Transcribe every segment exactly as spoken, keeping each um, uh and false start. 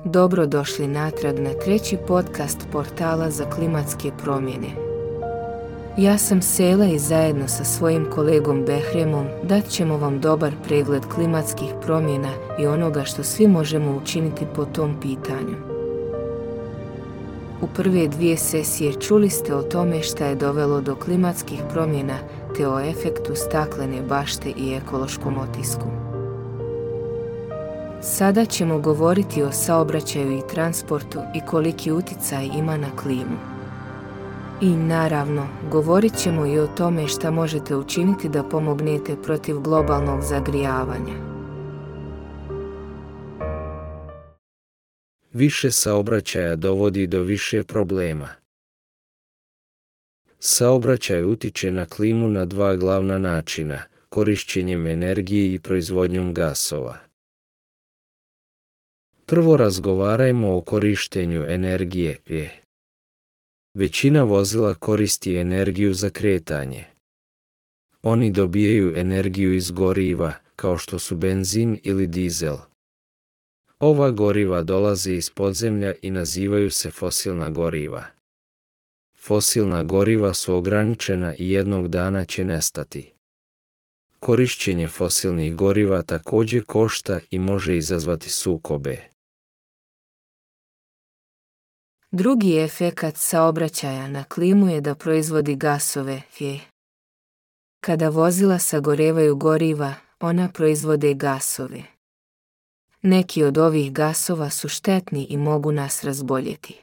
Dobro došli natrag na treći podcast portala za klimatske promjene. Ja sam Sela i zajedno sa svojim kolegom Behremom dat ćemo vam dobar pregled klimatskih promjena i onoga što svi možemo učiniti po tom pitanju. U prve dvije sesije čuli ste o tome šta je dovelo do klimatskih promjena te o efektu staklene bašte i ekološkom otisku. Sada ćemo govoriti o saobraćaju i transportu i koliki utjecaj ima na klimu. I naravno, govorit ćemo i o tome šta možete učiniti da pomognete protiv globalnog zagrijavanja. Više saobraćaja dovodi do više problema. Saobraćaj utiče na klimu na dva glavna načina, korišćenjem energije i proizvodnjom gasova. Prvo razgovarajmo o korištenju energije. Većina vozila koristi energiju za kretanje. Oni dobijaju energiju iz goriva, kao što su benzin ili dizel. Ova goriva dolaze iz podzemlja i nazivaju se fosilna goriva. Fosilna goriva su ograničena i jednog dana će nestati. Korišćenje fosilnih goriva također košta i može izazvati sukobe. Drugi efekat saobraćaja na klimu je da proizvodi gasove. Kada vozila sagorevaju goriva, ona proizvode gasove. Neki od ovih gasova su štetni i mogu nas razboljeti.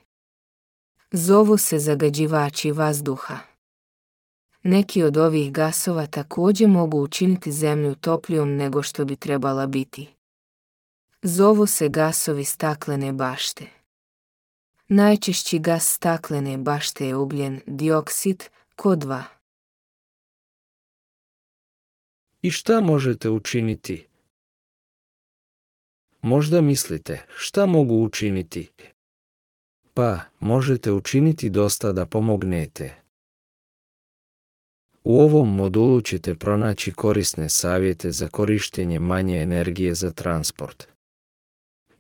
Zovu se zagađivači vazduha. Neki od ovih gasova također mogu učiniti zemlju toplijom nego što bi trebala biti. Zovu se gasovi staklene bašte. Najčešći gas staklene bašte je ugljen dioksid, ko dva. I šta možete učiniti? Možda mislite, šta mogu učiniti? Pa, možete učiniti dosta da pomognete. U ovom modulu ćete pronaći korisne savjete za korištenje manje energije za transport.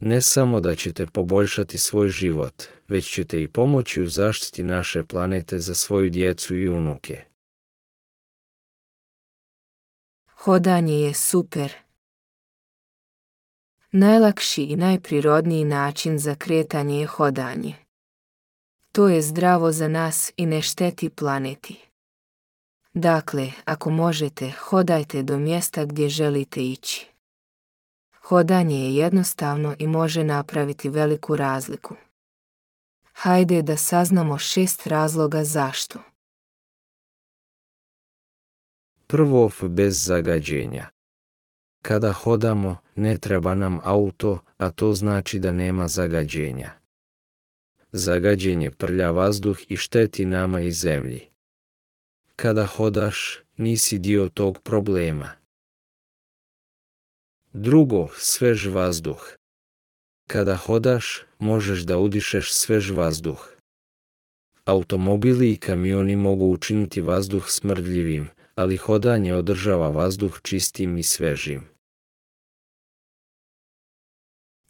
Ne samo da ćete poboljšati svoj život, već ćete i pomoći u zaštiti naše planete za svoju djecu i unuke. Hodanje je super. Najlakši i najprirodniji način za kretanje je hodanje. To je zdravo za nas i ne šteti planeti. Dakle, ako možete, hodajte do mjesta gdje želite ići. Hodanje je jednostavno i može napraviti veliku razliku. Hajde da saznamo šest razloga zašto. Prvo, bez zagađenja. Kada hodamo, ne treba nam auto, a to znači da nema zagađenja. Zagađenje prlja vazduh i šteti nama i zemlji. Kada hodaš, nisi dio tog problema. Drugo, svež vazduh. Kada hodaš, možeš da udišeš svež vazduh. Automobili i kamioni mogu učiniti vazduh smrdljivim, ali hodanje održava vazduh čistim i svežim.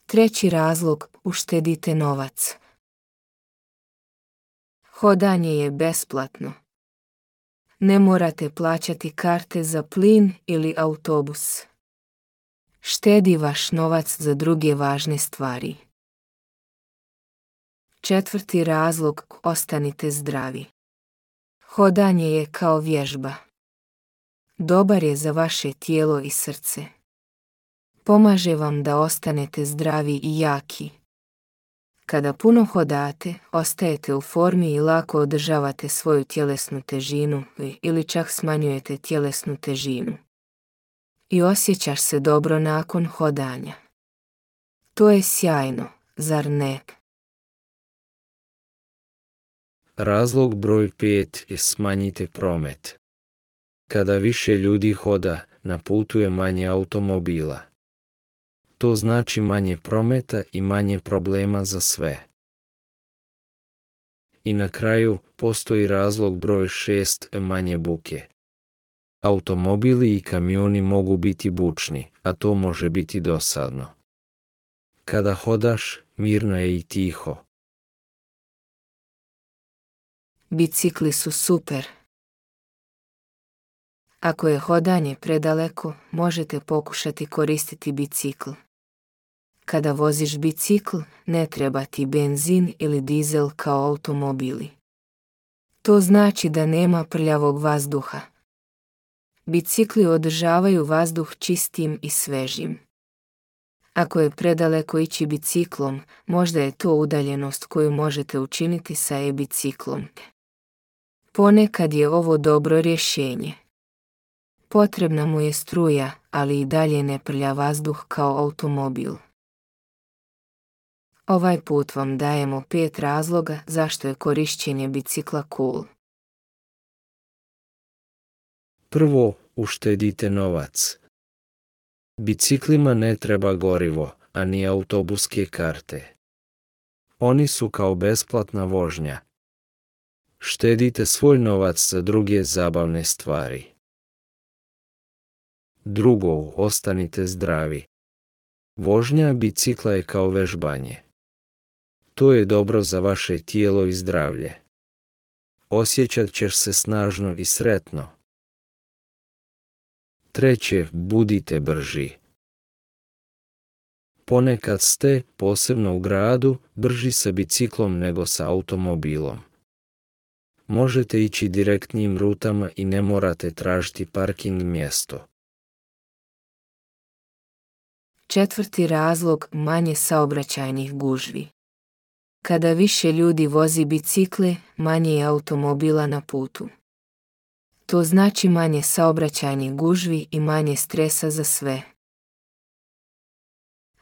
Treći razlog, uštedite novac. Hodanje je besplatno. Ne morate plaćati karte za plin ili autobus. Štedi vaš novac za druge važne stvari. Četvrti razlog, ostanite zdravi. Hodanje je kao vježba. Dobar je za vaše tijelo i srce. Pomaže vam da ostanete zdravi i jaki. Kada puno hodate, ostajete u formi i lako održavate svoju tjelesnu težinu ili čak smanjujete tjelesnu težinu. I osjećaš se dobro nakon hodanja. To je sjajno, zar ne? Razlog broj pet je smanjite promet. Kada više ljudi hoda, na putu je manje automobila. To znači manje prometa i manje problema za sve. I na kraju, postoji razlog broj šest, manje buke. Automobili i kamioni mogu biti bučni, a to može biti dosadno. Kada hodaš, mirno je i tiho. Bicikli su super. Ako je hodanje predaleko, možete pokušati koristiti bicikl. Kada voziš bicikl, ne treba ti benzin ili dizel kao automobili. To znači da nema prljavog vazduha. Bicikli održavaju vazduh čistim i svežim. Ako je predaleko ići biciklom, možda je to udaljenost koju možete učiniti sa e-biciklom. Ponekad je ovo dobro rješenje. Potrebna mu je struja, ali i dalje ne prlja vazduh kao automobil. Ovaj put vam dajemo pet razloga zašto je korištenje bicikla cool. Prvo, uštedite novac. Biciklima ne treba gorivo, a ni autobuske karte. Oni su kao besplatna vožnja. Štedite svoj novac za druge zabavne stvari. Drugo, ostanite zdravi. Vožnja bicikla je kao vežbanje. To je dobro za vaše tijelo i zdravlje. Osjećat ćeš se snažno i sretno. Treće, budite brži. Ponekad ste, posebno u gradu, brži sa biciklom nego sa automobilom. Možete ići direktnim rutama i ne morate tražiti parking mjesto. Četvrti razlog, manje saobraćajnih gužvi. Kada više ljudi vozi bicikle, manje je automobila na putu. To znači manje saobraćajnih gužvi i manje stresa za sve.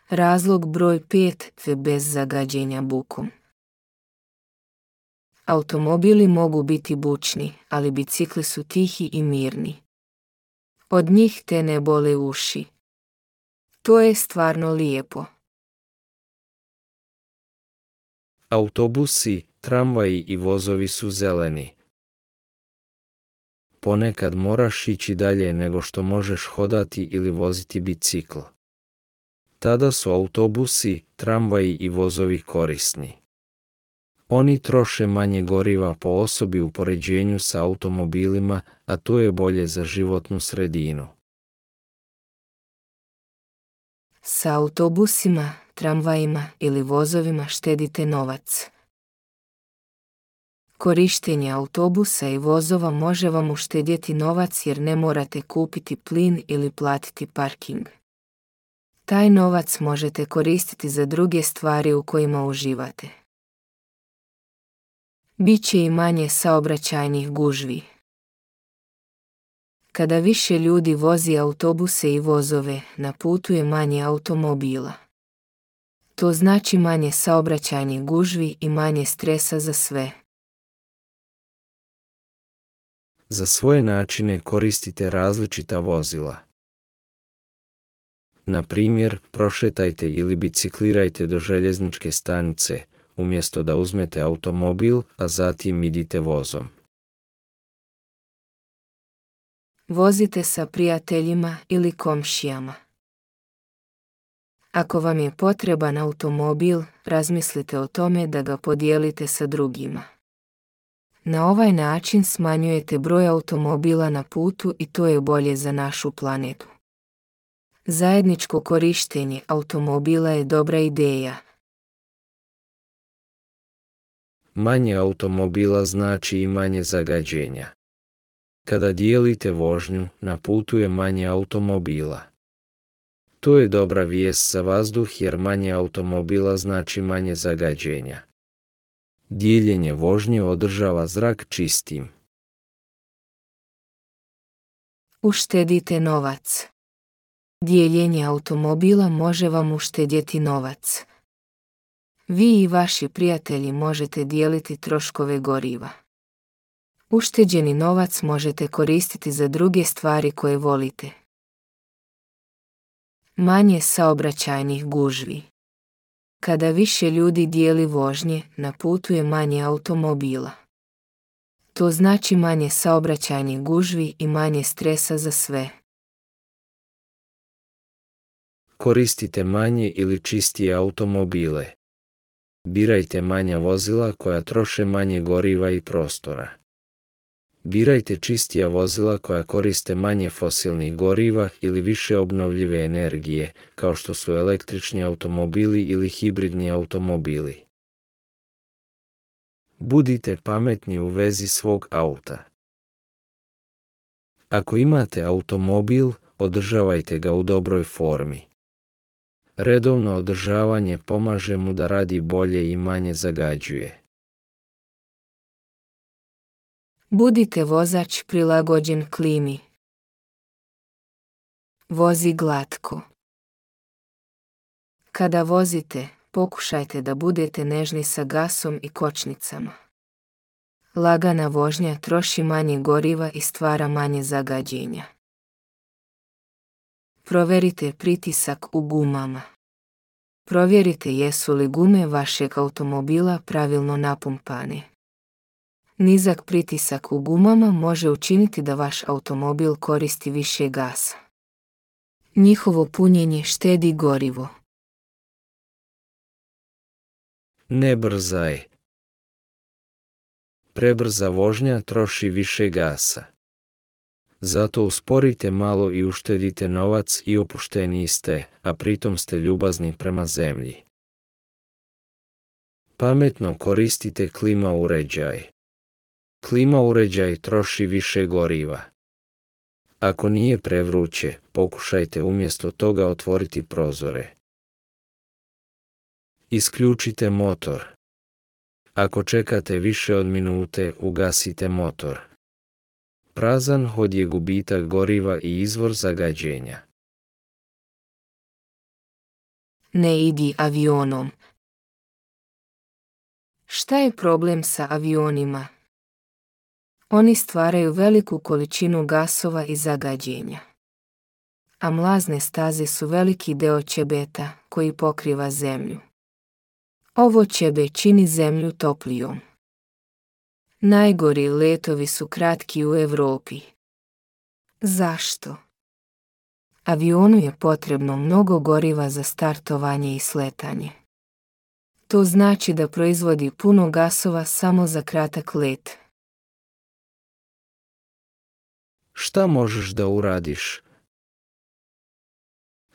Razlog broj pet, bez zagađenja bukom. Automobili mogu biti bučni, ali bicikli su tihi i mirni. Od njih te ne bole uši. To je stvarno lijepo. Autobusi, tramvaji i vozovi su zeleni. Ponekad moraš ići dalje nego što možeš hodati ili voziti bicikl. Tada su autobusi, tramvaji i vozovi korisni. Oni troše manje goriva po osobi u poređenju sa automobilima, a to je bolje za životnu sredinu. Sa autobusima, tramvajima ili vozovima štedite novac. Korištenje autobusa i vozova može vam uštedjeti novac jer ne morate kupiti plin ili platiti parking. Taj novac možete koristiti za druge stvari u kojima uživate. Biće i manje saobraćajnih gužvi. Kada više ljudi vozi autobuse i vozove, na putu je manje automobila. To znači manje saobraćajnih gužvi i manje stresa za sve. Za svoje načine koristite različita vozila. Na primjer, prošetajte ili biciklirajte do željezničke stanice, umjesto da uzmete automobil, a zatim idite vozom. Vozite sa prijateljima ili komšijama. Ako vam je potreban automobil, razmislite o tome da ga podijelite sa drugima. Na ovaj način smanjujete broj automobila na putu i to je bolje za našu planetu. Zajedničko korištenje automobila je dobra ideja. Manje automobila znači i manje zagađenja. Kada dijelite vožnju, na putu je manje automobila. To je dobra vijest za vazduh jer manje automobila znači manje zagađenja. Dijeljenje vožnje održava zrak čistim. Uštedite novac. Dijeljenje automobila može vam uštedjeti novac. Vi i vaši prijatelji možete dijeliti troškove goriva. Ušteđeni novac možete koristiti za druge stvari koje volite. Manje saobraćajnih gužvi. Kada više ljudi dijeli vožnje, na putu je manje automobila. To znači manje saobraćajnih gužvi i manje stresa za sve. Koristite manje ili čistije automobile. Birajte manja vozila koja troše manje goriva i prostora. Birajte čistija vozila koja koriste manje fosilnih goriva ili više obnovljive energije, kao što su električni automobili ili hibridni automobili. Budite pametni u vezi svog auta. Ako imate automobil, održavajte ga u dobroj formi. Redovno održavanje pomaže mu da radi bolje i manje zagađuje. Budite vozač prilagođen klimi. Vozi glatko. Kada vozite, pokušajte da budete nežni sa gasom i kočnicama. Lagana vožnja troši manje goriva i stvara manje zagađenja. Proverite pritisak u gumama. Provjerite jesu li gume vašeg automobila pravilno napumpane. Nizak pritisak u gumama može učiniti da vaš automobil koristi više gasa. Njihovo punjenje štedi gorivo. Ne brzaj. Prebrza vožnja troši više gasa. Zato usporite malo i uštedite novac i opušteniji ste, a pritom ste ljubazni prema zemlji. Pametno koristite klima uređaj. Klima uređaj troši više goriva. Ako nije prevruće, pokušajte umjesto toga otvoriti prozore. Isključite motor. Ako čekate više od minute, ugasite motor. Prazan hod je gubitak goriva i izvor zagađenja. Ne idi avionom. Šta je problem sa avionima? Oni stvaraju veliku količinu gasova i zagađenja. A mlazne staze su veliki deo ćebeta koji pokriva zemlju. Ovo ćebe čini zemlju toplijom. Najgori letovi su kratki u Europi. Zašto? Avionu je potrebno mnogo goriva za startovanje i sletanje. To znači da proizvodi puno gasova samo za kratak let. Šta možeš da uradiš?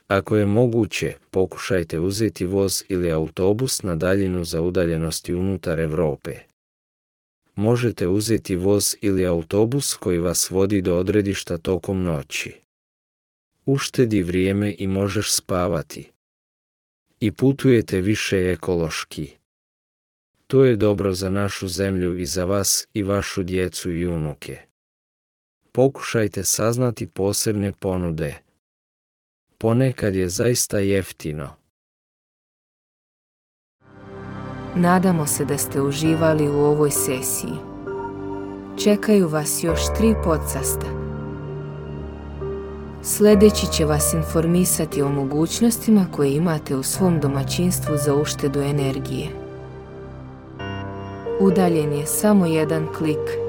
Ako je moguće, pokušajte uzeti voz ili autobus na daljinu za udaljenosti unutar Europe. Možete uzeti voz ili autobus koji vas vodi do odredišta tokom noći. Uštedi vrijeme i možeš spavati. I putujete više ekološki. To je dobro za našu zemlju i za vas i vašu djecu i unuke. Pokušajte saznati posebne ponude. Ponekad je zaista jeftino. Nadamo se da ste uživali u ovoj sesiji. Čekaju vas još tri podcasta. Sljedeći će vas informisati o mogućnostima koje imate u svom domaćinstvu za uštedu energije. Udaljen je samo jedan klik.